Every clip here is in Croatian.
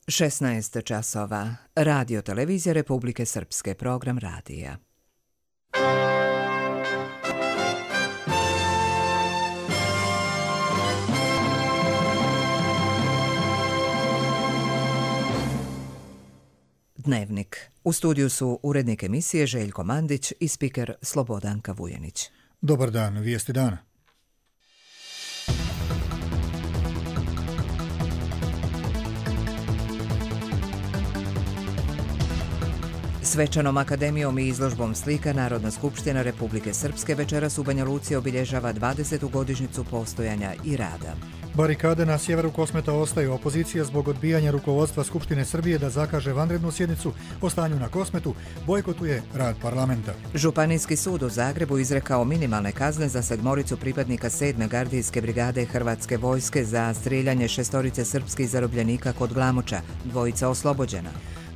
16 časova. Radio televizija Republike Srpske, program radija. Dnevnik. U studiju su urednik emisije Željko Mandić i spiker Slobodanka Vujenić. Dobar dan, vijesti dana. Svečanom akademijom i izložbom slika Narodna skupština Republike Srpske večeras u Banja Luci obilježava 20. godišnjicu postojanja i rada. Barikade na sjeveru Kosmeta ostaju. Opozicija zbog odbijanja rukovodstva Skupštine Srbije da zakaže vanrednu sjednicu o stanju na Kosmetu bojkotuje rad parlamenta. Županijski sud u Zagrebu izrekao minimalne kazne za 7 pripadnika 7. gardijske brigade Hrvatske vojske za strijeljanje 6 srpskih zarobljenika kod Glamoča, 2 oslobođena.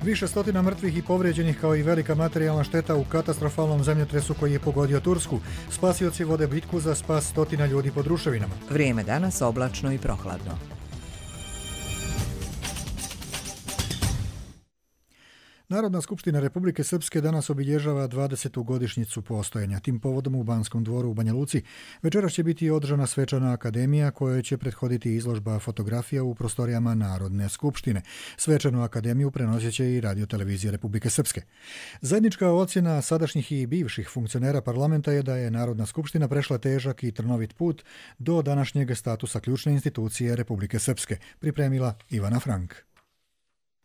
Više stotina mrtvih i povrijeđenih kao i velika materijalna šteta u katastrofalnom zemljotresu koji je pogodio Tursku. Spasioci vode bitku za spas stotina ljudi pod ruševinama. Vrijeme danas oblačno i prohladno. Narodna skupština Republike Srpske danas obilježava 20. godišnjicu postojanja. Tim povodom u Banskom dvoru u Banja Luci večeras će biti održana svečana akademija kojoj će prethoditi izložba fotografija u prostorijama Narodne skupštine. Svečanu akademiju prenosit će i Radio televizija Republike Srpske. Zajednička ocjena sadašnjih i bivših funkcionera parlamenta je da je Narodna skupština prešla težak i trnovit put do današnjeg statusa ključne institucije Republike Srpske, pripremila Ivana Frank.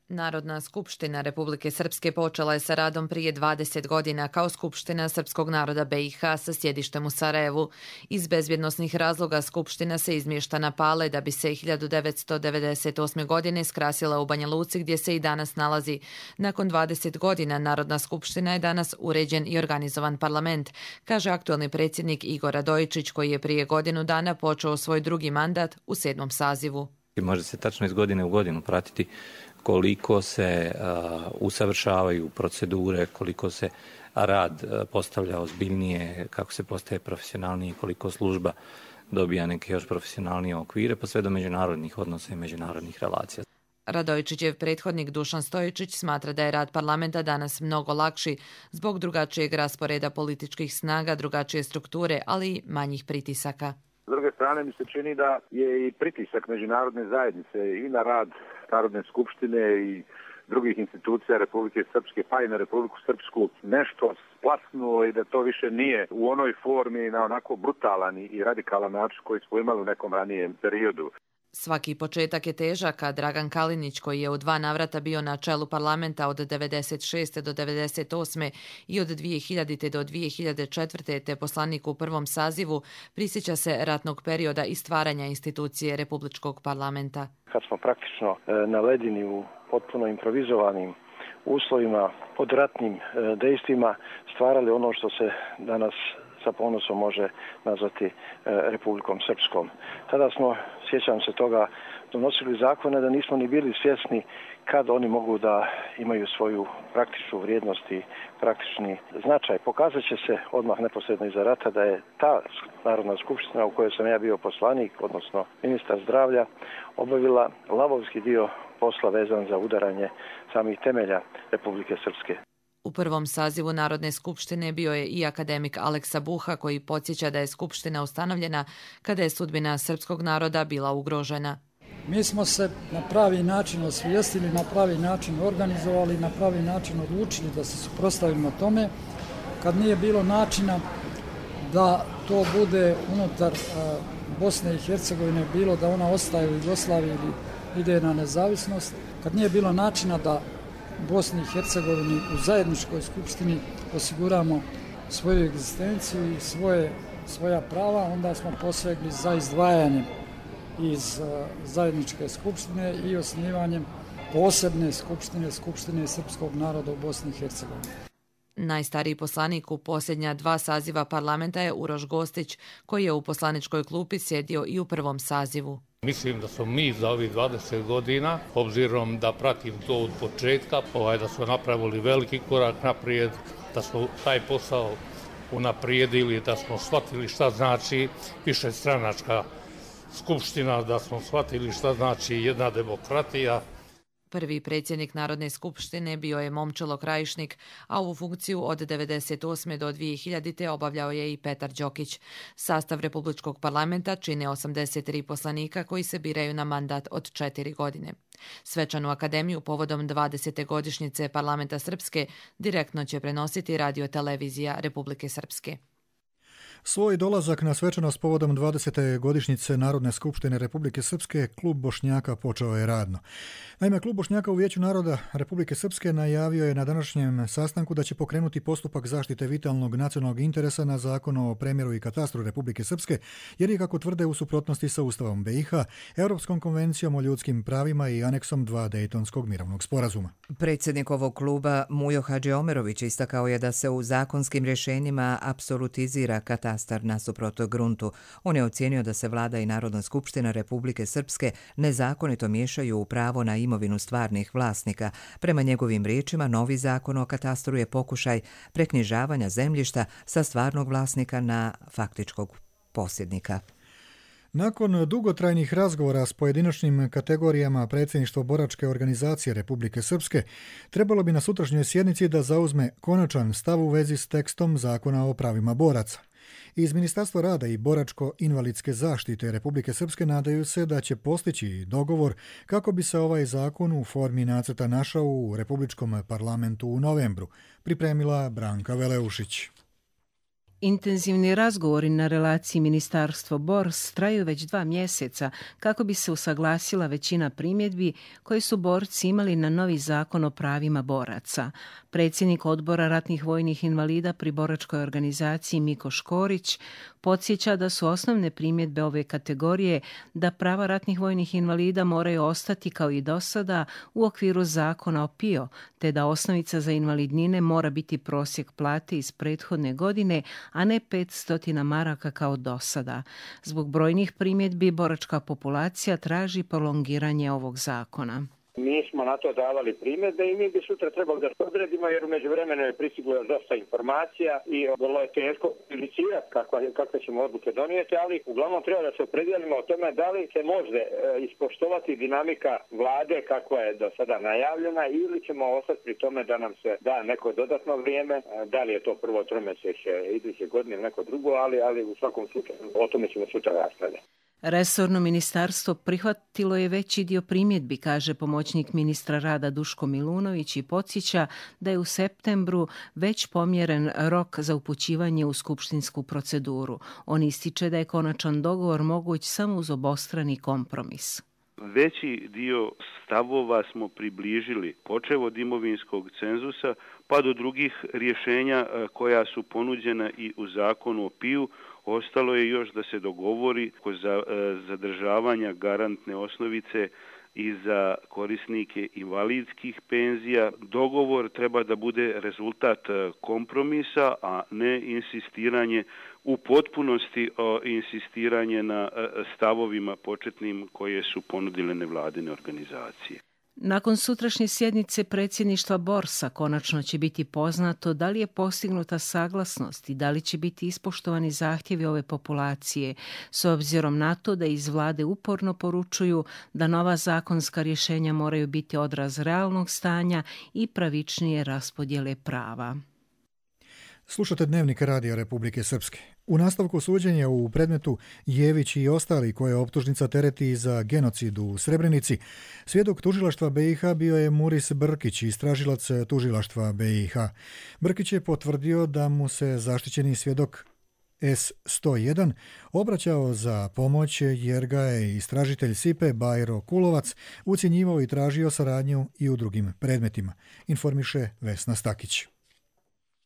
Narodna skupština Republike Srpske počela je sa radom prije 20 godina kao Skupština srpskog naroda BiH sa sjedištem u Sarajevu. Iz bezbjednosnih razloga Skupština se izmješta na Pale da bi se 1998. godine skrasila u Banja Luci gdje se i danas nalazi. Nakon 20 godina Narodna skupština je danas uređen i organizovan parlament, kaže aktualni predsjednik Igor Radojičić koji je prije godinu dana počeo svoj drugi mandat u 7. sazivu. Može se tačno iz godine u godinu pratiti koliko se usavršavaju procedure, koliko se rad postavlja ozbiljnije, kako se postaje profesionalnije, koliko služba dobija neke još profesionalnije okvire, pa sve do međunarodnih odnosa i međunarodnih relacija. Radojičićev prethodnik Dušan Stojičić smatra da je rad parlamenta danas mnogo lakši zbog drugačijeg rasporeda političkih snaga, drugačije strukture, ali i manjih pritisaka. S druge strane mi se čini da je i pritisak međunarodne zajednice i na rad Narodne skupštine i drugih institucija Republike Srpske, pa i na Republiku Srpsku nešto splasnulo i da to više nije u onoj formi na onako brutalan i radikalan način koji smo imali u nekom ranijem periodu. Svaki početak je težak, a Dragan Kalinić, koji je u 2 navrata bio na čelu parlamenta od 1996. do 1998. i od 2000. do 2004. te poslanik u 1. sazivu, prisjeća se ratnog perioda i stvaranja institucije Republičkog parlamenta. Kad smo praktično na ledini u potpuno improvizovanim uslovima, pod ratnim dejstvima, stvarali ono što se danas sa ponosom može nazvati Republikom Srpskom. Tada smo, sjećam se toga, donosili zakone da nismo ni bili svjesni kad oni mogu da imaju svoju praktičnu vrijednost i praktični značaj. Pokazat će se odmah neposredno iza rata da je ta Narodna skupština u kojoj sam ja bio poslanik, odnosno ministar zdravlja, obavila lavovski dio posla vezan za udaranje samih temelja Republike Srpske. U 1. sazivu Narodne skupštine bio je i akademik Aleksa Buha koji podsjeća da je skupština ustanovljena kada je sudbina srpskog naroda bila ugrožena. Mi smo se na pravi način osvijestili, na pravi način organizovali, na pravi način odlučili da se suprotstavimo tome kad nije bilo načina da to bude unutar Bosne i Hercegovine, bilo da ona ostaje u Jugoslaviji ili ide na nezavisnost, kad nije bilo načina da Bosni i Hercegovini u zajedničkoj skupštini osiguramo svoju egzistenciju i svoja prava, onda smo posegli za izdvajanjem iz zajedničke skupštine i osnivanjem posebne skupštine srpskog naroda u Bosni i Hercegovini. Najstariji poslanik u posljednja 2 saziva parlamenta je Uroš Gostić, koji je u poslaničkoj klupi sjedio i u 1. sazivu. Mislim da smo mi za ovih 20 godina, obzirom da pratim to od početka, da smo napravili veliki korak naprijed, da smo taj posao unaprijedili, da smo shvatili šta znači višestranačka skupština, da smo shvatili šta znači jedna demokratija. prvi predsjednik Narodne skupštine bio je Momčilo Krajišnik, a ovu funkciju od 1998. do 2000. obavljao je i Petar Đokić. Sastav Republičkog parlamenta čine 83 poslanika koji se biraju na mandat od 4 godine. Svečanu akademiju povodom 20. godišnjice Parlamenta Srpske direktno će prenositi Radio-televizija Republike Srpske. Svoj dolazak na svečanost povodom 20. godišnjice Narodne skupštine Republike Srpske Klub Bošnjaka počeo je radno. Naime, Klub Bošnjaka u Vijeću naroda Republike Srpske najavio je na današnjem sastanku da će pokrenuti postupak zaštite vitalnog nacionalnog interesa na Zakon o premjeru i katastru Republike Srpske, jer je, kako tvrde, u suprotnosti sa Ustavom BiH, Europskom konvencijom o ljudskim pravima i aneksom 2 Dejtonskog mirovnog sporazuma. Predsjednik ovog kluba Mujo Hadžiomerović istakao je da se u zakonskim rješenjima apsolutizira katastar nasuprot gruntu. On je ocijenio da se Vlada i Narodna skupština Republike Srpske nezakonito miješaju u pravo na imovinu stvarnih vlasnika. Prema njegovim riječima, novi zakon o katastru je pokušaj preknjižavanja zemljišta sa stvarnog vlasnika na faktičkog posjednika. Nakon dugotrajnih razgovora s pojedinačnim kategorijama predsjedništva boračke organizacije Republike Srpske, trebalo bi na sutrašnjoj sjednici da zauzme konačan stav u vezi s tekstom Zakona o pravima boraca. Iz Ministarstva rada i boračko-invalidske zaštite Republike Srpske nadaju se da će postići dogovor kako bi se ovaj zakon u formi nacrta našao u Republičkom parlamentu u novembru, pripremila Branka Veleušić. Intenzivni razgovori na relaciji Ministarstvo-Bors traju već 2 mjeseca kako bi se usaglasila većina primjedbi koje su borci imali na novi zakon o pravima boraca. Predsjednik odbora ratnih vojnih invalida pri boračkoj organizaciji Miko Škorić podsjeća da su osnovne primjedbe ove kategorije da prava ratnih vojnih invalida moraju ostati kao i do sada u okviru zakona o PIO, te da osnovica za invalidnine mora biti prosjek plate iz prethodne godine, a ne 500 maraka kao do sada. Zbog brojnih primjedbi boračka populacija traži prolongiranje ovog zakona. Mi smo na to davali primjedbe i mi bi sutra trebali da se odredimo, jer u međuvremenu je pristiglo dosta informacija i vrlo je teško inicirati kakve ćemo odluke donijeti, ali uglavnom treba da se opredijelimo o tome da li se može ispoštovati dinamika vlade kakva je do sada najavljena, ili ćemo ostati pri tome da nam se da neko dodatno vrijeme, da li je to prvo tromjesečje iduće godine ili neko drugo, ali u svakom slučaju o tome ćemo sutra raspravljati. Resorno ministarstvo prihvatilo je veći dio primjedbi, kaže pomoćnik ministra rada Duško Milunović, i podsjeća da je u septembru već pomjeren rok za upućivanje u skupštinsku proceduru. On ističe da je konačan dogovor moguć samo uz obostrani kompromis. Veći dio stavova smo približili, počev od imovinskog cenzusa pa do drugih rješenja koja su ponuđena i u zakonu o PIU. Ostalo je još da se dogovori kod zadržavanja garantne osnovice i za korisnike invalidskih penzija. Dogovor treba da bude rezultat kompromisa, a ne insistiranje u potpunosti insistiranje na stavovima početnim koje su ponudile nevladine organizacije. Nakon sutrašnje sjednice predsjedništva Borsa konačno će biti poznato da li je postignuta saglasnost i da li će biti ispoštovani zahtjevi ove populacije, s obzirom na to da iz vlade uporno poručuju da nova zakonska rješenja moraju biti odraz realnog stanja i pravičnije raspodjele prava. Slušate Dnevnik Radija Republike Srpske. U nastavku suđenja u predmetu Jević i ostali koje optužnica tereti za genocid u Srebrenici, svjedok tužilaštva BiH bio je Muris Brkić, istražilac tužilaštva BiH. Brkić je potvrdio da mu se zaštićeni svjedok S101 obraćao za pomoć jer ga je istražitelj SIPE Bajro Kulovac ucjenjivao i tražio saradnju i u drugim predmetima, informiše Vesna Stakić.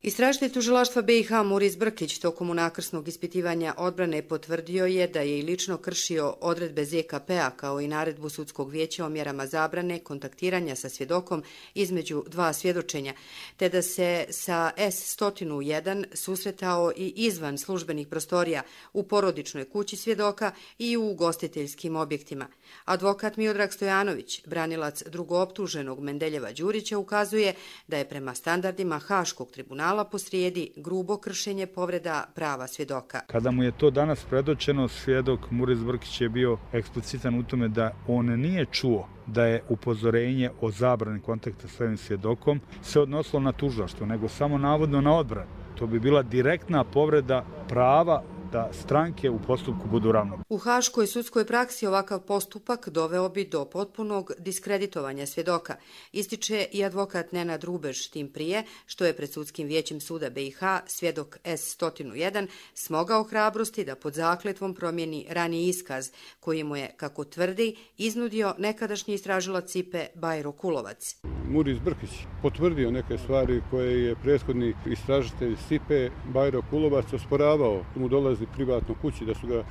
Istražitelj tužilaštva BiH Muris Brkić tokom unakrsnog ispitivanja odbrane potvrdio je da je i lično kršio odredbe ZKP-a kao i naredbu sudskog vijeća o mjerama zabrane kontaktiranja sa svjedokom između 2 svjedočenja, te da se sa S101 susretao i izvan službenih prostorija u porodičnoj kući svjedoka i u ugostiteljskim objektima. Advokat Miodrag Stojanović, branilac drugooptuženog Mendeljeva Đurića, ukazuje da je prema standardima Haškog tribunala kriminala posrijedi grubo kršenje povreda prava svjedoka. Kada mu je to danas predočeno, svjedok Muris Brkić je bio eksplicitan u tome da on nije čuo da je upozorenje o zabrani kontakta s ovim svjedokom se odnosilo na tužilaštvo, nego samo navodno na odbranu. To bi bila direktna povreda prava da stranke u postupku budu ravnopravne. U haškoj sudskoj praksi ovakav postupak doveo bi do potpunog diskreditovanja svjedoka, ističe i advokat Nenad Rubež, tim prije što je pred sudskim vijećem suda BiH svjedok S101 smogao hrabrosti da pod zakletvom promijeni raniji iskaz koji mu je, kako tvrdi, iznudio nekadašnji istražilac SIPE Bajro Kulovac. Muris Brkić potvrdio neke stvari koje je prethodni istražitelj SIPE Bajro Kulovac osporavao. Mu dolazi privatno kući, da su ga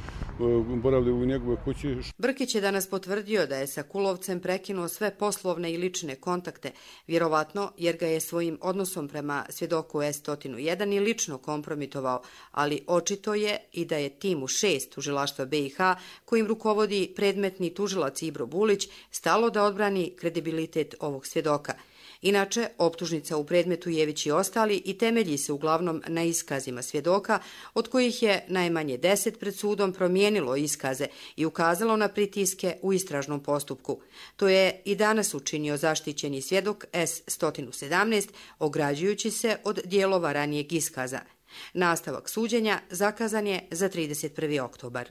boravili u njegove kući. Brkić je danas potvrdio da je sa Kulovcem prekinuo sve poslovne i lične kontakte, vjerovatno jer ga je svojim odnosom prema svjedoku S101 i lično kompromitovao, ali očito je i da je timu 6 tužilaštva BiH, kojim rukovodi predmetni tužilac Ibro Bulić, stalo da odbrani kredibilitet ovog svjedoka. Inače, optužnica u predmetu Jević i ostali i temelji se uglavnom na iskazima svjedoka, od kojih je najmanje 10 pred sudom promijenilo iskaze i ukazalo na pritiske u istražnom postupku. To je i danas učinio zaštićeni svjedok S117, ograđujući se od dijelova ranijeg iskaza. Nastavak suđenja zakazan je za 31. oktobar.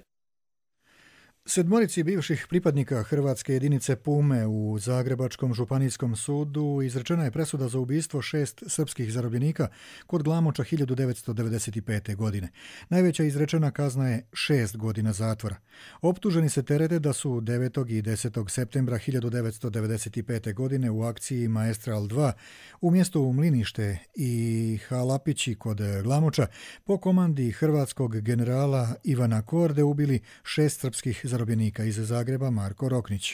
Sedmorici bivših pripadnika hrvatske jedinice Pume u Zagrebačkom županijskom sudu izrečena je presuda za ubistvo 6 srpskih zarobljenika kod Glamoča 1995. godine. Najveća izrečena kazna je 6 godina zatvora. Optuženi se terete da su 9. i 10. septembra 1995. godine u akciji Maestral 2 u mjestu Mlinište i Halapići kod Glamoča po komandi hrvatskog generala Ivana Korde ubili 6 srpskih zarobljenika iz Zagreba. Marko Roknić.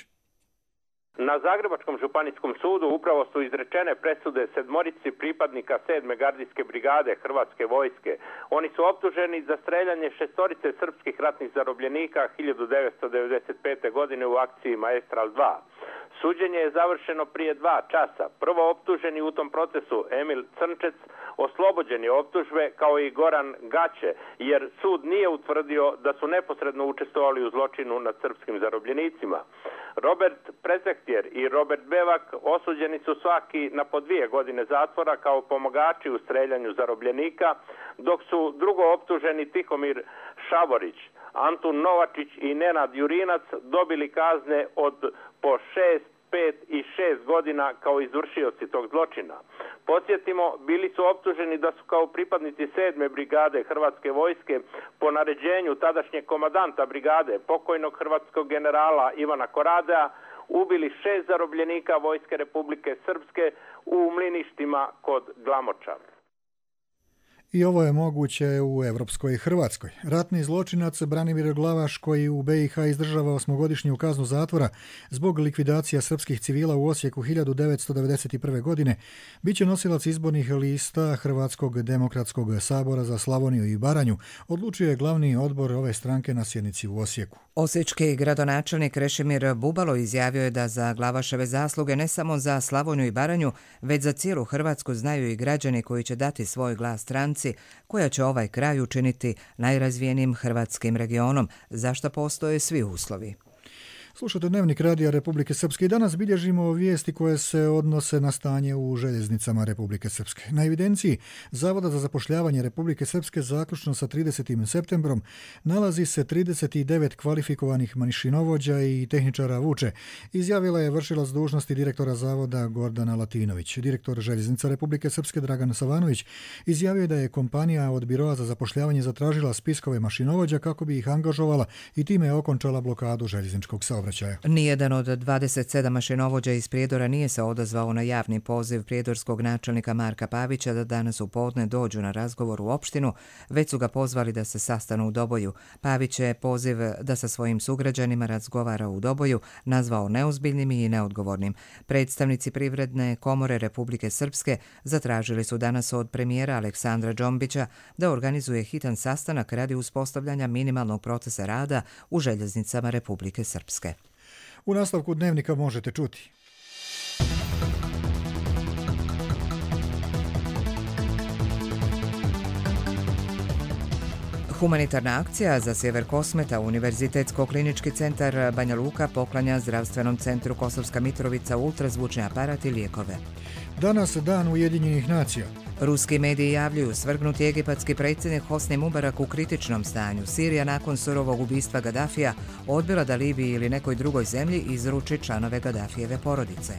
Na Zagrebačkom županijskom sudu upravo su izrečene presude sedmorici pripadnika 7. gardijske brigade Hrvatske vojske. Oni su optuženi za streljanje 6 srpskih ratnih zarobljenika 1995. godine u akciji Maestral 2. Suđenje je završeno prije 2 časa. Prvo optuženi u tom procesu Emil Crnčec oslobođen je optužbe kao i Goran Gaće, jer sud nije utvrdio da su neposredno učestvovali u zločinu nad srpskim zarobljenicima. Robert Prezehtjer i Robert Bevak osuđeni su svaki na po 2 godine zatvora kao pomagači u streljanju zarobljenika, dok su drugo optuženi Tihomir Šavorić, Antun Novačić i Nenad Jurinac dobili kazne od po 6, 5 i 6 godina kao izvršioci tog zločina. Podsjetimo, bili su optuženi da su kao pripadnici 7. brigade Hrvatske vojske po naređenju tadašnjeg komadanta brigade, pokojnog hrvatskog generala Ivana Koradea, ubili 6 zarobljenika Vojske Republike Srpske u Mliništima kod Glamoča. I ovo je moguće u evropskoj Hrvatskoj. Ratni zločinac Branimir Glavaš, koji u BiH izdržava 8-godišnju kaznu zatvora zbog likvidacija srpskih civila u Osijeku 1991. godine, bit će nosilac izbornih lista Hrvatskog demokratskog sabora za Slavoniju i Baranju, odlučio je glavni odbor ove stranke na sjednici u Osijeku. Osječki gradonačelnik Krešimir Bubalo izjavio je da za Glavaševe zasluge ne samo za Slavoniju i Baranju, već za cijelu Hrvatsku znaju i građani koji će dati svoj glas stranci koja će ovaj kraj učiniti najrazvijenijim hrvatskim regionom, za što postoje svi uslovi. Slušate Dnevnik Radija Republike Srpske i danas bilježimo vijesti koje se odnose na stanje u željeznicama Republike Srpske. Na evidenciji Zavoda za zapošljavanje Republike Srpske zaključno sa 30. septembrom nalazi se 39 kvalifikovanih mašinovođa i tehničara vuče, izjavila je vršilac dužnosti direktora Zavoda Gordana Latinović. Direktor Željeznica Republike Srpske Dragan Savanović izjavio je da je kompanija od Biroa za zapošljavanje zatražila spiskove mašinovođa kako bi ih angažovala i time okončala blokadu željezničkog saobraćaja. Nijedan od 27 mašinovođa iz Prijedora nije se odazvao na javni poziv prijedorskog načelnika Marka Pavića da danas u podne dođu na razgovor u opštinu, već su ga pozvali da se sastanu u Doboju. Pavić je poziv da sa svojim sugrađanima razgovara u Doboju nazvao neozbiljnim i neodgovornim. Predstavnici Privredne komore Republike Srpske zatražili su danas od premijera Aleksandra Džombića da organizuje hitan sastanak radi uspostavljanja minimalnog procesa rada u željeznicama Republike Srpske. U nastavku Dnevnika možete čuti. Humanitarna akcija za sjever Kosmeta, Univerzitetsko-klinički centar Banja Luka poklanja zdravstvenom centru Kosovska Mitrovica ultrazvučni aparat i lijekove. Danas dan Ujedinjenih nacija. Ruski mediji javljaju svrgnuti egipatski predsjednik Hosni Mubarak u kritičnom stanju. Sirija nakon surovog ubistva Gadafija odbila da Libiji ili nekoj drugoj zemlji izruči članove Gadafijeve porodice.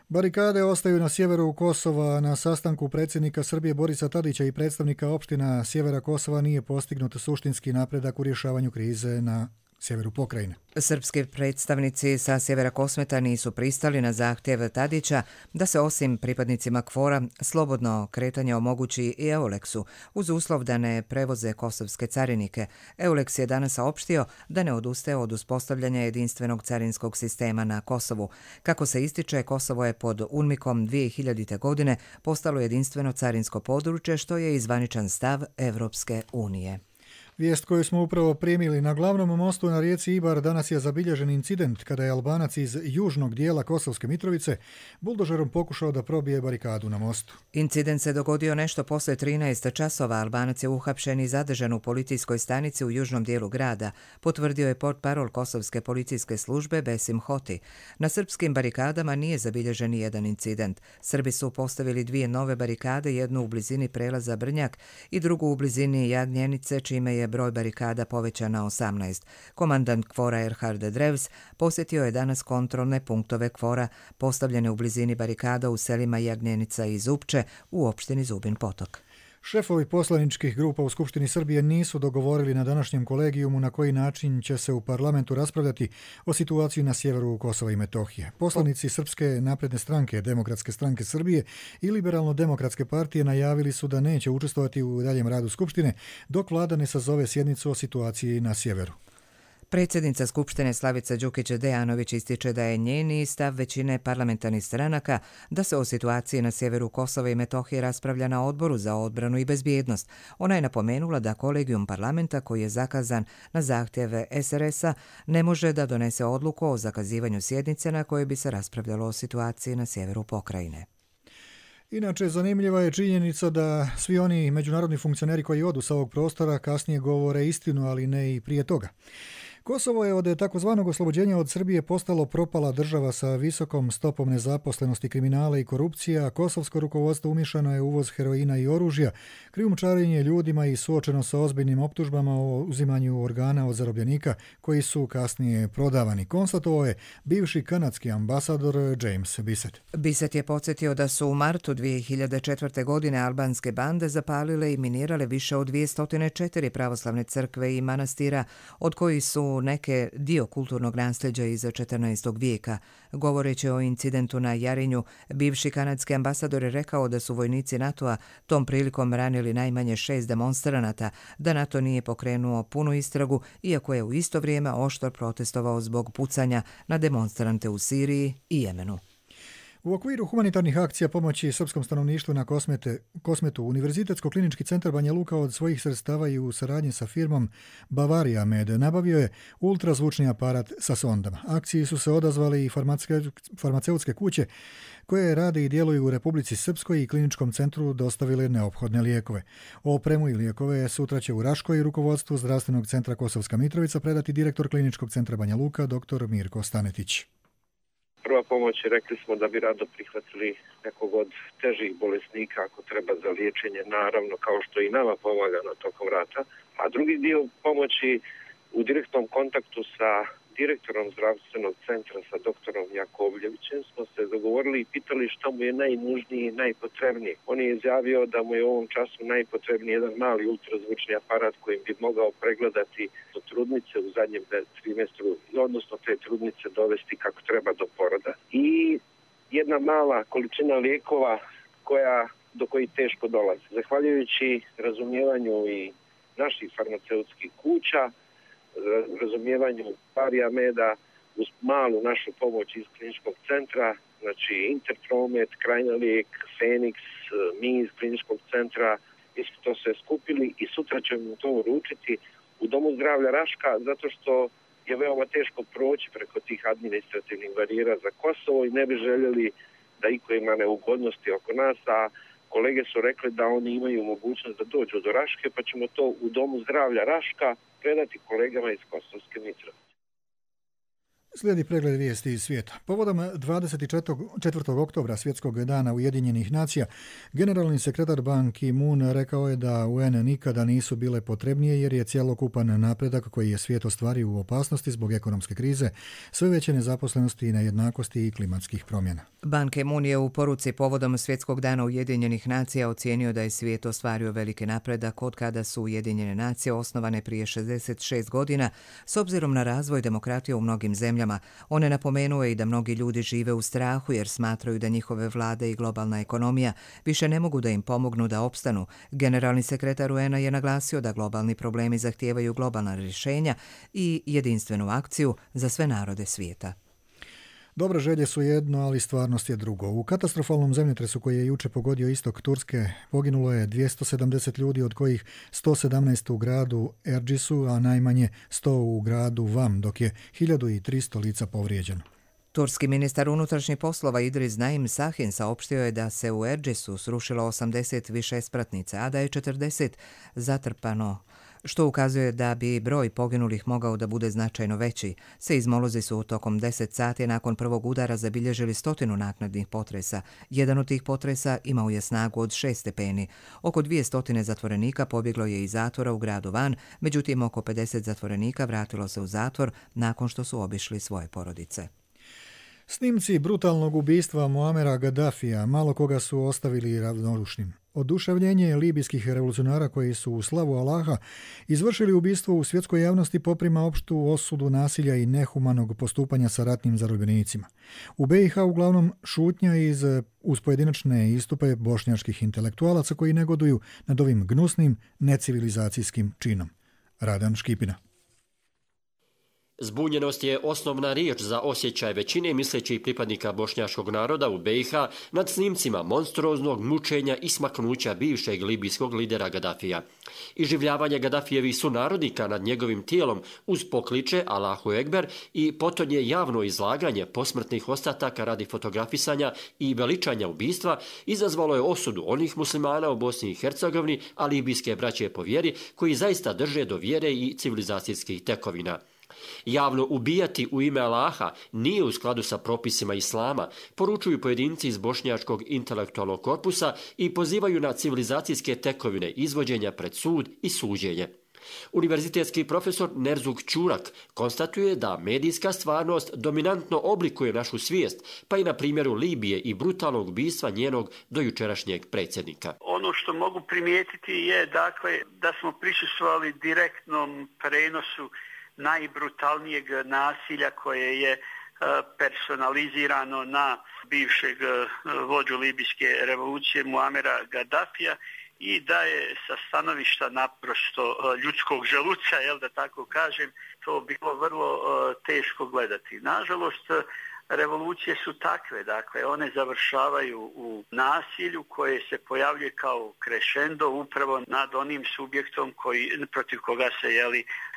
Barikade ostaju na sjeveru Kosova. Na sastanku predsjednika Srbije Borisa Tadića i predstavnika opština sjevera Kosova nije postignut suštinski napredak u rješavanju krize na sjeveru pokrajine. Srpski predstavnici sa sjevera Kosmeta nisu pristali na zahtjev Tadića da se osim pripadnicima KFOR-a slobodno kretanje omogući i Euleksu uz uslov da ne prevoze kosovske carinike. Euleks je danas saopštio da ne odustaje od uspostavljanja jedinstvenog carinskog sistema na Kosovu. Kako se ističe, Kosovo je pod UNMIK-om 2000. godine postalo jedinstveno carinsko područje, što je i zvaničan stav Evropske unije. Vijest koju smo upravo primili: na glavnom mostu na rijeci Ibar danas je zabilježen incident kada je Albanac iz južnog dijela Kosovske Mitrovice buldožerom pokušao da probije barikadu na mostu. Incident se dogodio nešto poslije 13 časova. Albanac je uhapšen i zadržan u policijskoj stanici u južnom dijelu grada, potvrdio je portparol Kosovske policijske službe Besim Hoti. Na srpskim barikadama nije zabilježen ni jedan incident. Srbi su postavili 2 nove barikade, jednu u blizini prelaza Brnjak i drugu u blizini Jagnjenice, čime je broj barikada povećan na 18. Komandant KFOR-a Erhard Drevs posjetio je danas kontrolne punktove KFOR-a postavljene u blizini barikada u selima Jagnjenica i Zupče u opštini Zubin Potok. Šefovi poslaničkih grupa u Skupštini Srbije nisu dogovorili na današnjem kolegijumu na koji način će se u parlamentu raspravljati o situaciji na sjeveru Kosova i Metohije. Poslanici Srpske napredne stranke, Demokratske stranke Srbije i Liberalno-demokratske partije najavili su da neće učestvovati u daljem radu Skupštine dok vlada ne sazove sjednicu o situaciji na sjeveru. Predsjednica Skupštine Slavica Đukić-Dejanović ističe da je njeni stav većine parlamentarnih stranaka da se o situaciji na sjeveru Kosova i Metohije raspravlja na Odboru za odbranu i bezbjednost. Ona je napomenula da kolegijum parlamenta, koji je zakazan na zahtjeve SRS-a, ne može da donese odluku o zakazivanju sjednice na kojoj bi se raspravljalo o situaciji na sjeveru pokrajine. Inače, zanimljiva je činjenica da svi oni međunarodni funkcioneri koji odu sa ovog prostora kasnije govore istinu, ali ne i prije toga. Kosovo je od takozvanog oslobođenja od Srbije postalo propala država sa visokom stopom nezaposlenosti, kriminala i korupcije, a kosovsko rukovodstvo umješano je uvoz heroina i oružja, krijumčarenje ljudima i suočeno sa ozbiljnim optužbama o uzimanju organa od zarobljenika koji su kasnije prodavani, konstatovao je bivši kanadski ambasador James Bissett. Bissett je podsjetio da su u martu 2004. godine albanske bande zapalile i minirale više od 204 pravoslavne crkve i manastira, od kojih su neke dio kulturnog nasljeđa iz 14. vijeka. Govoreći o incidentu na Jarinju, bivši kanadski ambasador je rekao da su vojnici NATO-a tom prilikom ranili najmanje 6 demonstranata, da NATO nije pokrenuo punu istragu, iako je u isto vrijeme oštro protestovao zbog pucanja na demonstrante u Siriji i Jemenu. U okviru humanitarnih akcija pomoći srpskom stanovništvu na Kosmetu, Univerzitetsko-klinički centar Banja Luka od svojih sredstava i u saradnji sa firmom Bavaria Med nabavio je ultrazvučni aparat sa sondama. Akciji su se odazvali i farmaceutske kuće koje rade i djeluju u Republici Srpskoj i kliničkom centru dostavile neophodne lijekove. Opremu i lijekove sutra će u Raškoj rukovodstvu Zdravstvenog centra Kosovska Mitrovica predati direktor kliničkog centra Banja Luka dr. Mirko Stanetić. Prva pomoć, rekli smo da bi rado prihvatili nekog od težih bolesnika ako treba za liječenje, naravno kao što i nama pomaga na tokom rata. A drugi dio pomoći u direktnom kontaktu sa direktorom zdravstvenog centra, sa doktorom Jakovljevićem, smo se dogovorili i pitali što mu je najnužniji i najpotrebniji. On je izjavio da mu je u ovom času najpotrebniji jedan mali ultrazvučni aparat kojim bi mogao pregledati trudnice u zadnjem trimestru, odnosno te trudnice dovesti kako treba do poroda. I jedna mala količina lijekova do kojih teško dolazi. Zahvaljujući razumijevanju i naših farmaceutskih kuća, razumijevanju Bavaria Meda, uz malu našu pomoć iz kliničkog centra, znači Interpromet, Krajna lijek, Feniks, mi iz kliničkog centra, isto to sve skupili i sutra ćemo to uručiti u Domu zdravlja Raška, zato što je veoma teško proći preko tih administrativnih barijera za Kosovo i ne bi željeli da iko ima neugodnosti oko nas, a kolege su rekli da oni imaju mogućnost da dođu do Raške, pa ćemo to u Domu zdravlja Raška predati kolegama iz Kosovske Mitrovice. Slijedi pregled vijesti iz svijeta. Povodom 24. oktobra Svjetskog dana Ujedinjenih nacija, generalni sekretar Ban Ki-moon rekao je da UN nikada nisu bile potrebnije jer je cjelokupan napredak koji je svijet ostvario u opasnosti zbog ekonomske krize, sve veće nezaposlenosti i nejednakosti i klimatskih promjena. Ban Ki-moon je u poruci povodom Svjetskog dana Ujedinjenih nacija ocijenio da je svijet ostvario veliki napredak od kada su Ujedinjene nacije osnovane prije 66 godina s obzirom na razvoj demokratije u mnogim zemljama. On je napomenuo i da mnogi ljudi žive u strahu jer smatraju da njihove vlade i globalna ekonomija više ne mogu da im pomognu da opstanu. Generalni sekretar UN-a je naglasio da globalni problemi zahtijevaju globalna rješenja i jedinstvenu akciju za sve narode svijeta. Dobre želje su jedno, ali stvarnost je drugo. U katastrofalnom zemljotresu koji je juče pogodio istok Turske poginulo je 270 ljudi, od kojih 117 u gradu Ercisu, a najmanje 100 u gradu Vam, dok je 1300 lica povrijeđeno. Turski ministar unutrašnjih poslova Idris Naim Sahin saopštio je da se u Ercisu srušilo 80 višespratnica, a da je 40 zatrpano, što ukazuje da bi broj poginulih mogao da bude značajno veći. Seizmolozi su tokom 10 sati nakon prvog udara zabilježili 100 naknadnih potresa. Jedan od tih potresa imao je snagu od 6 stepeni. Oko 200 zatvorenika pobjeglo je iz zatvora u gradu Van, međutim oko 50 zatvorenika vratilo se u zatvor nakon što su obišli svoje porodice. Snimci brutalnog ubistva Muamera Gaddafija malo koga su ostavili ravnodušnim. Oduševljenje libijskih revolucionara koji su u slavu Allaha izvršili ubistvo u svjetskoj javnosti poprima opštu osudu nasilja i nehumanog postupanja sa ratnim zarobljenicima. U BiH uglavnom šutnja uz pojedinačne istupe bošnjačkih intelektualaca koji negoduju nad ovim gnusnim necivilizacijskim činom. Radan Škipina. Zbunjenost je osnovna riječ za osjećaj većine mislećih pripadnika bošnjačkog naroda u BiH nad snimcima monstruoznog mučenja i smaknuća bivšeg libijskog lidera Gaddafija. Iživljavanje Gaddafijevih sunarodnika nad njegovim tijelom uz pokliče Allahu Ekber i potonje javno izlaganje posmrtnih ostataka radi fotografisanja i veličanja ubistva izazvalo je osudu onih muslimana u Bosni i Hercegovini, a libijske braće po vjeri koji zaista drže do vjere i civilizacijskih tekovina. Javno ubijati u ime Allaha nije u skladu sa propisima islama, poručuju pojedinci iz bošnjačkog intelektualnog korpusa i pozivaju na civilizacijske tekovine izvođenja pred sud i suđenje. Univerzitetski profesor Nerzuk Čurak konstatuje da medijska stvarnost dominantno oblikuje našu svijest, pa i na primjeru Libije i brutalnog ubistva njenog dojučerašnjeg predsjednika. Ono što mogu primijetiti je dakle da smo prisustvovali direktnom prenosu najbrutalnijeg nasilja koje je personalizirano na bivšeg vođu libijske revolucije Muamera Gaddafija i da je sa stanovišta naprosto ljudskog želuca, da tako kažem, to bilo vrlo teško gledati. Nažalost, revolucije su takve, dakle one završavaju u nasilju koje se pojavljuje kao crescendo upravo nad onim subjektom protiv koga se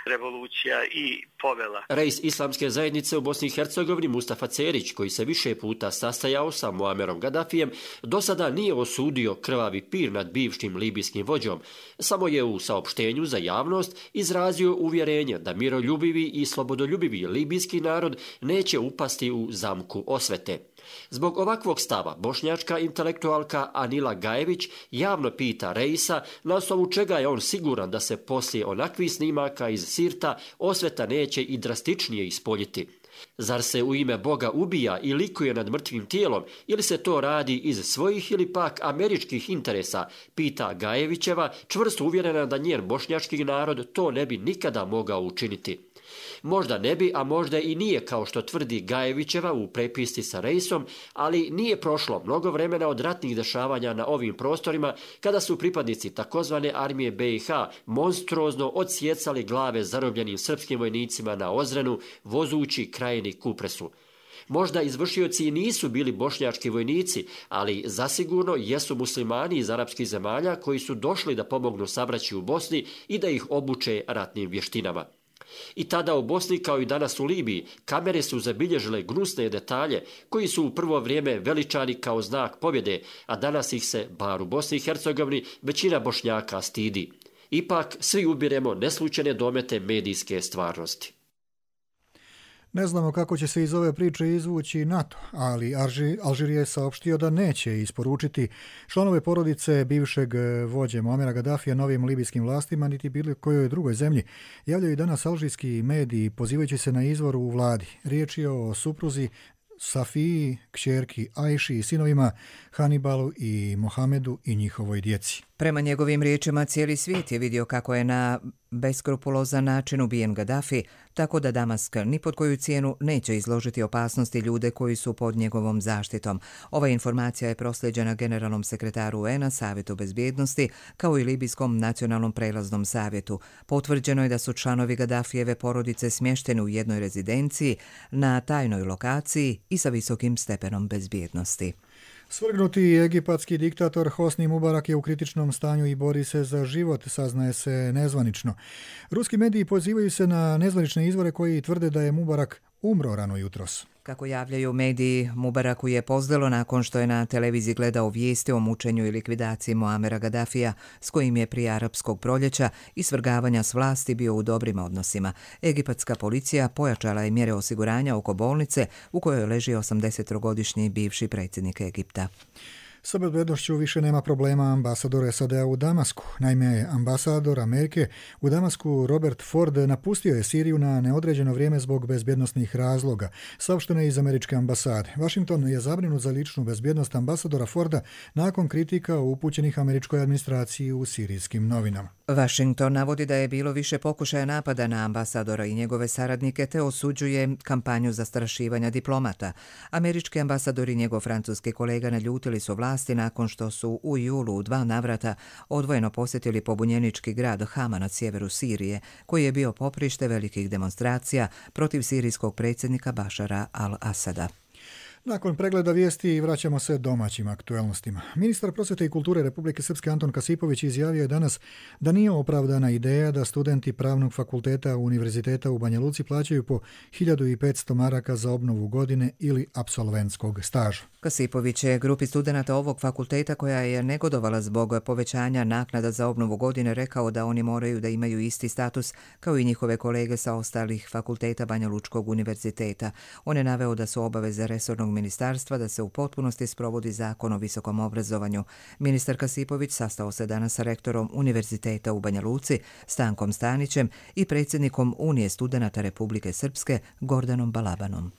revolucija i povela. Reis islamske zajednice u Bosni i Hercegovini Mustafa Cerić, koji se više puta sastajao sa Muamerom Gaddafijem, do sada nije osudio krvavi pir nad bivšim libijskim vođom, samo je u saopštenju za javnost izrazio uvjerenje da miroljubivi i slobodoljubivi libijski narod neće upasti u zamku osvete. Zbog ovakvog stava bošnjačka intelektualka Anila Gajević javno pita Reisa na osnovu čega je on siguran da se poslije onakvih snimaka iz Sirta osveta neće i drastičnije ispoljiti. Zar se u ime Boga ubija i likuje nad mrtvim tijelom ili se to radi iz svojih ili pak američkih interesa, pita Gajevićeva, čvrsto uvjerena da njen bošnjački narod to ne bi nikada mogao učiniti. Možda ne bi, a možda i nije, kao što tvrdi Gajevićeva u prepisci sa Reisom, ali nije prošlo mnogo vremena od ratnih dešavanja na ovim prostorima kada su pripadnici takozvane armije BiH monstruozno odsjecali glave zarobljenim srpskim vojnicima na Ozrenu, vozući krajini Kupresu. Možda izvršioci i nisu bili bošnjački vojnici, ali zasigurno jesu muslimani iz arapskih zemalja koji su došli da pomognu sabraći u Bosni i da ih obuče ratnim vještinama. I tada u Bosni, kao i danas u Libiji, kamere su zabilježile gnusne detalje koji su u prvo vrijeme veličani kao znak pobjede, a danas ih se, bar u Bosni i Hercegovini, većina Bošnjaka stidi. Ipak, svi ubiremo neslučajne domete medijske stvarnosti. Ne znamo kako će se iz ove priče izvući NATO, ali Alžir je saopštio da neće isporučiti članove porodice bivšeg vođe Muamera Gadafija novim libijskim vlastima niti bilo kojoj drugoj zemlji. Javljaju danas alžirski mediji pozivajući se na izvor u vladi. Riječ je o supruzi Safiji, kćerki Ajši i sinovima Hanibalu i Mohamedu i njihovoj djeci. Prema njegovim riječima, cijeli svijet je vidio kako je na beskrupulozan način ubijen Gaddafi, tako da Damask ni pod koju cijenu neće izložiti opasnosti ljude koji su pod njegovom zaštitom. Ova informacija je proslijeđena generalnom sekretaru UN-a, Savjetu bezbjednosti, kao i Libijskom nacionalnom prelaznom savjetu. Potvrđeno je da su članovi Gaddafijeve porodice smješteni u jednoj rezidenciji na tajnoj lokaciji i sa visokim stepenom bezbjednosti. Svrgnuti egipatski diktator Hosni Mubarak je u kritičnom stanju i bori se za život, saznaje se nezvanično. Ruski mediji pozivaju se na nezvanične izvore koji tvrde da je Mubarak umro rano jutros. Kako javljaju mediji, Mubaraku je pozlilo nakon što je na televiziji gledao vijesti o mučenju i likvidaciji Muamera Gaddafija, s kojim je prije arapskog proljeća i svrgavanja s vlasti bio u dobrim odnosima. Egipatska policija pojačala je mjere osiguranja oko bolnice u kojoj leži 83-godišnji bivši predsjednik Egipta. Sa bezbednošću više nema problema ambasador SAD-a u Damasku. Naime, ambasador Amerike u Damasku Robert Ford napustio je Siriju na neodređeno vrijeme zbog bezbjednosnih razloga, saopšteno je iz američke ambasade. Washington je zabrinut za ličnu bezbjednost ambasadora Forda nakon kritika upućenih američkoj administraciji u sirijskim novinama. Washington navodi da je bilo više pokušaja napada na ambasadora i njegove saradnike te osuđuje kampanju zastrašivanja diplomata. Američki ambasador i njegov francuski kolega naljutili su vlasti nakon što su u julu u 2 navrata odvojeno posjetili pobunjenički grad Hama na sjeveru Sirije, koji je bio poprište velikih demonstracija protiv sirijskog predsjednika Bašara al-Asada. Nakon pregleda vijesti vraćamo se domaćim aktuelnostima. Ministar prosvjete i kulture Republike Srpske Anton Kasipović izjavio je danas da nije opravdana ideja da studenti Pravnog fakulteta Univerziteta u Banja Luci plaćaju po 1500 maraka za obnovu godine ili apsolventskog staža. Kasipović je grupi studenata ovog fakulteta koja je negodovala zbog povećanja naknada za obnovu godine rekao da oni moraju da imaju isti status kao i njihove kolege sa ostalih fakulteta Banja Lučkog univerziteta. On je naveo da su obaveze resornog ministarstva da se u potpunosti sprovodi zakon o visokom obrazovanju. Ministar Kasipović sastao se danas sa rektorom Univerziteta u Banja Luci, Stankom Stanićem i predsjednikom Unije studenata Republike Srpske, Gordanom Balabanom.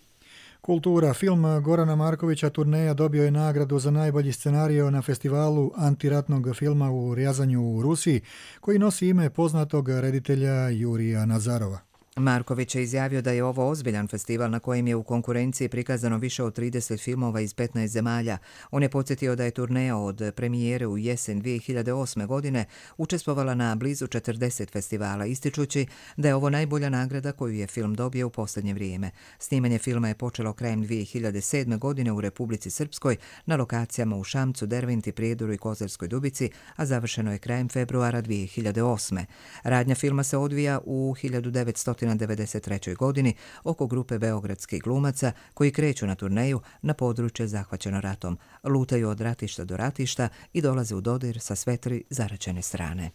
Kultura. Film Gorana Markovića Turneja dobio je nagradu za najbolji scenario na festivalu antiratnog filma u Rjazanju u Rusiji, koji nosi ime poznatog reditelja Jurija Nazarova. Marković je izjavio da je ovo ozbiljan festival na kojem je u konkurenciji prikazano više od 30 filmova iz 15 zemalja. On je podsjetio da je Turneja od premijere u jesen 2008. godine učestvovala na blizu 40 festivala, ističući da je ovo najbolja nagrada koju je film dobio u posljednje vrijeme. Snimanje filma je počelo krajem 2007. godine u Republici Srpskoj na lokacijama u Šamcu, Derventi, Prijedoru i Kozarskoj Dubici, a završeno je krajem februara 2008. Radnja filma se odvija u 1993. godini oko grupe beogradskih glumaca koji kreću na turneju na područje zahvaćeno ratom, lutaju od ratišta do ratišta i dolaze u dodir sa sve 3 zaraćene strane.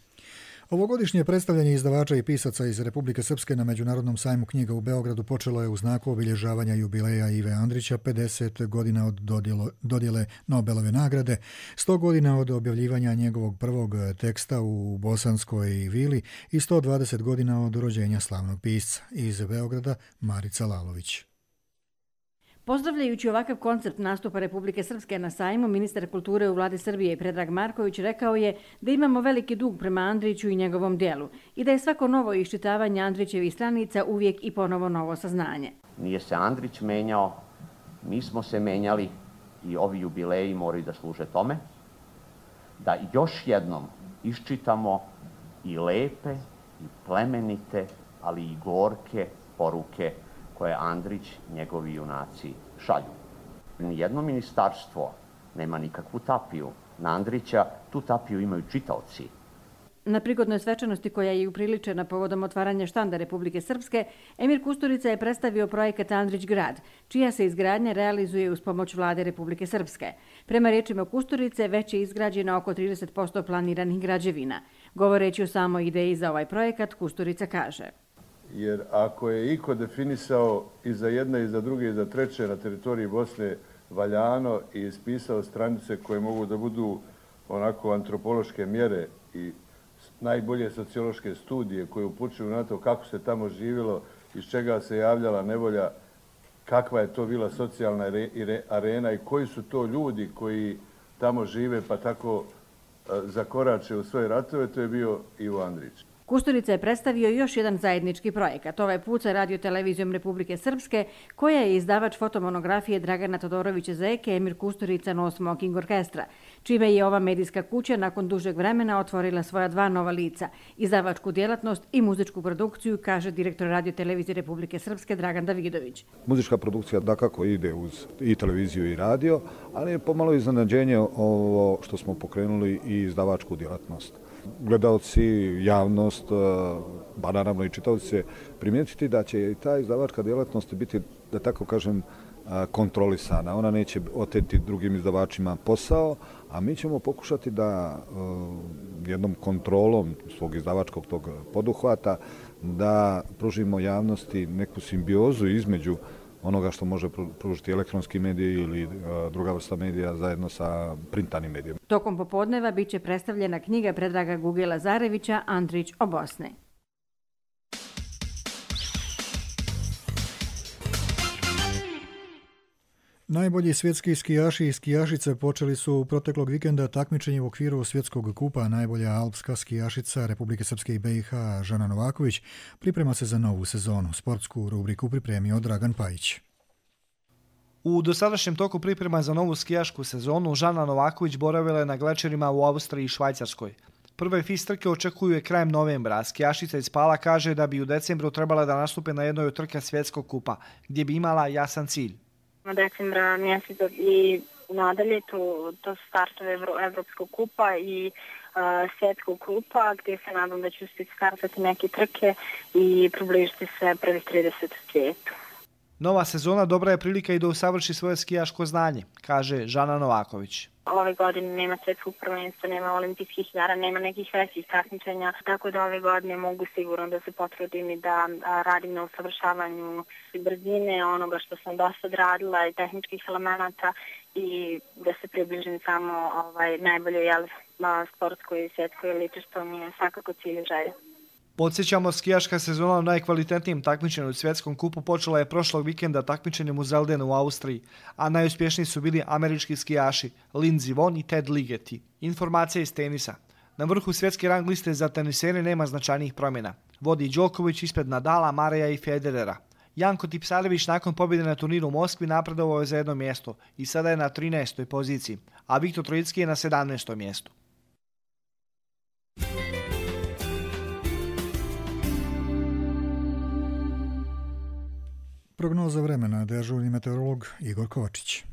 Ovogodišnje predstavljanje izdavača i pisaca iz Republike Srpske na Međunarodnom sajmu knjiga u Beogradu počelo je u znaku obilježavanja jubileja Ive Andrića, 50 godina od dodjele Nobelove nagrade, 100 godina od objavljivanja njegovog prvog teksta u Bosanskoj vili i 120 godina od rođenja slavnog pisca. Iz Beograda Marica Lalović. Pozdravljajući ovakav koncept nastupa Republike Srpske na sajmu, ministar kulture u vladi Srbije Predrag Marković rekao je da imamo veliki dug prema Andriću i njegovom djelu i da je svako novo iščitavanje Andrićevih stranica uvijek i ponovo novo saznanje. Nije se Andrić menjao, mi smo se menjali i ovi jubileji moraju da služe tome, da još jednom iščitamo i lepe, i plemenite, ali i gorke poruke koje Andrić, njegovi junaci šalju. Nijedno ministarstvo nema nikakvu tapiju na Andrića, tu tapiju imaju čitaoci. Na prigodnoj svečanosti koja je upriličena povodom otvaranja štanda Republike Srpske, Emir Kusturica je predstavio projekat Andrić grad, čija se izgradnja realizuje uz pomoć Vlade Republike Srpske. Prema rečima Kusturice, već je izgrađeno oko 30% planiranih građevina. Govoreći o samoj ideji za ovaj projekat, Kusturica kaže: jer ako je iko definisao i za jedne, i za druge, i za treće na teritoriji Bosne valjano i ispisao stranice koje mogu da budu onako antropološke mjere i najbolje sociološke studije koje upućuju na to kako se tamo živjelo, iz čega se javljala nevolja, kakva je to bila socijalna arena i koji su to ljudi koji tamo žive pa tako zakorače u svoje ratove, to je bio Ivo Andrić. Kusturica je predstavio još jedan zajednički projekat, ovaj put sa Radio-televizijom Republike Srpske, koja je izdavač fotomonografije Dragana Todorovića Zeke, Emir Kusturica No Smoking Orkestra, čime je ova medijska kuća nakon dužeg vremena otvorila svoja dva nova lica, izdavačku djelatnost i muzičku produkciju, kaže direktor Radio-televizije Republike Srpske Dragan Davidović. Muzička produkcija dakako ide uz i televiziju i radio, ali je pomalo iznenađenje ovo što smo pokrenuli i izdavačku djelatnost. Gledalci, javnost, ba naravno i čitavci će primijetiti da će i ta izdavačka djelatnost biti, da tako kažem, kontrolisana. Ona neće oteti drugim izdavačima posao, a mi ćemo pokušati da jednom kontrolom svog izdavačkog tog poduhvata da pružimo javnosti neku simbiozu između onoga što može pružiti elektronski mediji ili druga vrsta medija zajedno sa printanim medijom. Tokom popodneva bit će predstavljena knjiga Predraga Guge Lazarevića Andrić o Bosni. Najbolji svjetski skijaši i skijašice počeli su proteklog vikenda takmičenje u okviru svjetskog kupa. Najbolja alpska skijašica Republike Srpske i BiH Žana Novaković priprema se za novu sezonu. Sportsku rubriku pripremio Dragan Pajić. U dosadašnjem toku priprema za novu skijašku sezonu Žana Novaković boravila je na glečerima u Austriji i Švajcarskoj. Prve FIS trke očekuju je krajem novembra, a skijašica iz Pala kaže da bi u decembru trebala da nastupe na jednoj od trka svjetskog kupa, gdje bi imala jasan cilj. Decembra mjesec i nadalje to su startove Evropskog kupa i svjetskog kupa, gdje se nadam da ću uspjeti startati neke trke i približiti se prvih 30 u svijetu. Nova sezona dobra je prilika i da usavrši svoje skijaško znanje, kaže Žana Novaković. Ove godine nema svjetskog prvenstva, nema olimpijskih igara, nema nekih većih takmičenja, tako da ove godine mogu sigurno da se potrudim i da radim na usavršavanju brzine, onoga što sam do sad radila i tehničkih elemenata i da se približim samo najboljoj sportskoj i svjetskoj eliti, što mi je svakako cilj i želja. Podsjećamo, skijaška sezona u najkvalitetnijem takmičenju u svjetskom kupu počela je prošlog vikenda takmičenjem u Zeldenu u Austriji, a najuspješniji su bili američki skijaši Lindsey Vonn i Ted Ligeti. Informacija iz tenisa. Na vrhu svjetske rang liste za tenisere nema značajnijih promjena. Vodi Đoković ispred Nadala, Mareja i Federera. Janko Tipsarević nakon pobjede na turniru u Moskvi napredovao je za jedno mjesto i sada je na 13. poziciji, a Viktor Trojicki je na 17. mjestu. Prognoza vremena, dežurni meteorolog Igor Kovačić.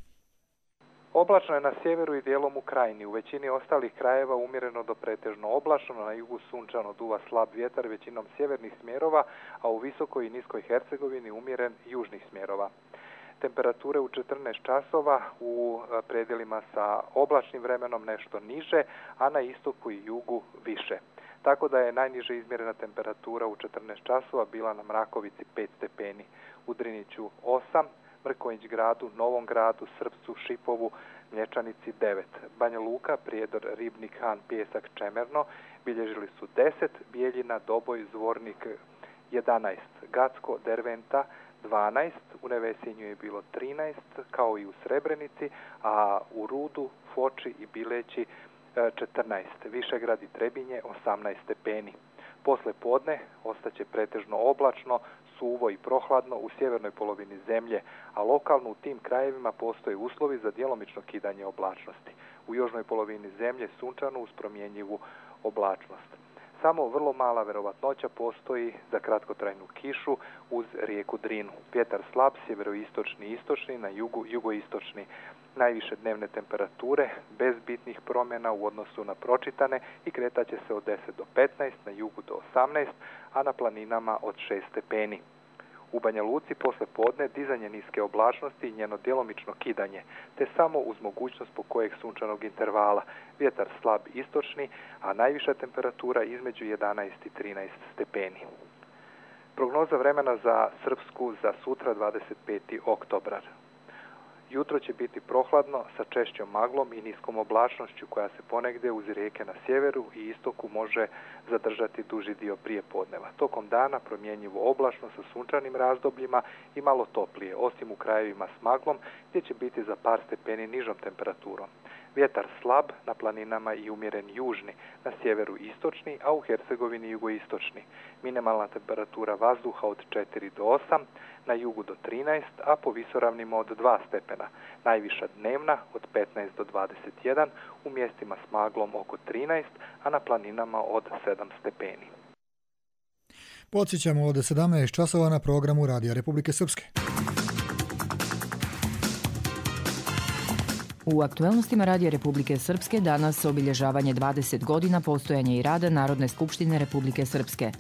Oblačno je na sjeveru i dijelom u Krajini. U većini ostalih krajeva umjereno do pretežno oblačno, na jugu sunčano, duva slab vjetar većinom sjevernih smjerova, a u visokoj i niskoj Hercegovini umjeren južnih smjerova. Temperature u 14 časova u predjelima sa oblačnim vremenom nešto niže, a na istoku i jugu više. Tako da je najniže izmjerena temperatura u 14 časova bila na Mrakovici 5 stepeni, u Driniću 8, Mrkonjić gradu, Novom gradu, Srpcu, Šipovu, Mlječanici 9, Banja Luka, Prijedor, Ribnik, Han, Pijesak, Čemerno bilježili su 10, Bijeljina, Doboj, Zvornik 11, Gacko, Derventa 12, u Nevesinju je bilo 13, kao i u Srebrenici, a u Rudu, Foči i Bileći 14, Višegrad i Trebinje 18 stepeni. Posle podne ostaće pretežno oblačno, suvo i prohladno u sjevernoj polovini zemlje, a lokalno u tim krajevima postoje uslovi za djelomično kidanje oblačnosti. U južnoj polovini zemlje sunčano uz promjenjivu oblačnost. Samo vrlo mala verovatnoća postoji za kratkotrajnu kišu uz rijeku Drinu. Vjetar slab, sjeveroistočni i istočni, na jugu jugoistočni. Najviše dnevne temperature bez bitnih promjena u odnosu na pročitane i kretaće se od 10 do 15, na jugu do 18, a na planinama od 6 stepeni. U Banja Luci posle podne dizanje niske oblačnosti i njeno djelomično kidanje, te samo uz mogućnost pokojeg sunčanog intervala. Vjetar slab istočni, a najviša temperatura između 11 i 13 stepeni. Prognoza vremena za Srpsku za sutra 25. oktobar. Jutro će biti prohladno sa češćom maglom i niskom oblačnošću koja se ponegdje uz rijeke na sjeveru i istoku može zadržati duži dio prijepodneva. Tokom dana promjenjivo oblačno sa sunčanim razdobljima i malo toplije, osim u krajevima s maglom gdje će biti za par stepeni nižom temperaturom. Vjetar slab, na planinama i umjeren južni, na sjeveru istočni, a u Hercegovini jugoistočni. Minimalna temperatura vazduha od 4 do 8, na jugu do 13, a po visoravnima od 2 stepena. Najviša dnevna od 15 do 21, u mjestima s maglom oko 13, a na planinama od 7 stepeni. Podsjećamo od 17 časova na programu Radija Republike Srpske. U aktuelnostima Radija Republike Srpske danas obilježavanje 20 godina postojanja i rada Narodne skupštine Republike Srpske.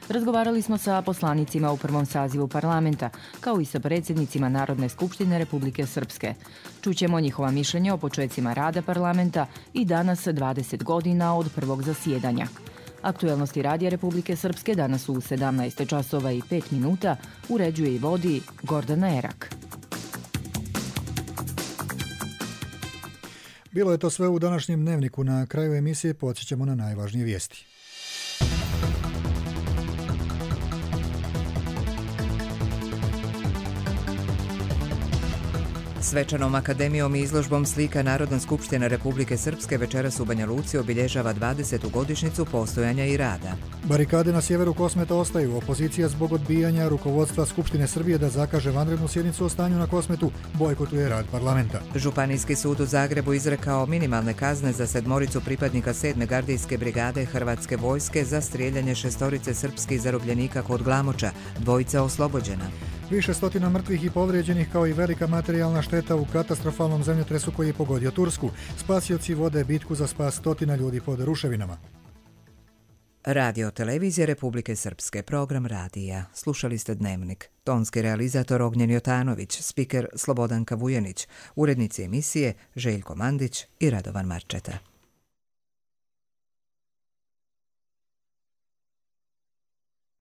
Razgovarali smo sa poslanicima u prvom sazivu parlamenta, kao i sa predsjednicima Narodne skupštine Republike Srpske. Čućemo njihova mišljenja o počecima rada parlamenta i danas 20 godina od prvog zasjedanja. Aktuelnosti Radija Republike Srpske danas u 17 časova i 5 minuta uređuje i vodi Gordana Erak. Bilo je to sve u današnjem dnevniku. Na kraju emisije podsjećamo na najvažnije vijesti. Svečanom akademijom i izložbom slika Narodna skupština Republike Srpske večeras u Banja Luci obilježava 20. godišnjicu postojanja i rada. Barikade na sjeveru Kosmeta ostaju. Opozicija zbog odbijanja rukovodstva Skupštine Srbije da zakaže vanrednu sjednicu o stanju na Kosmetu bojkotuje rad parlamenta. Županijski sud u Zagrebu izrekao minimalne kazne za 7 pripadnika 7. gardijske brigade Hrvatske vojske za strijeljanje 6 srpskih zarobljenika kod Glamoča, 2 oslobođena. Više stotina mrtvih i povrijeđenih kao i velika materijalna šteta u katastrofalnom zemljotresu koji je pogodio Tursku. Spasioci vode bitku za spas stotina ljudi pod ruševinama. Radio Televizija Republike Srpske, program radija. Slušali ste Dnevnik. Tonski realizator Ognjen Jotanović, spiker Slobodanka Vujanić, urednici emisije Željko Mandić i Radovan Marčeta.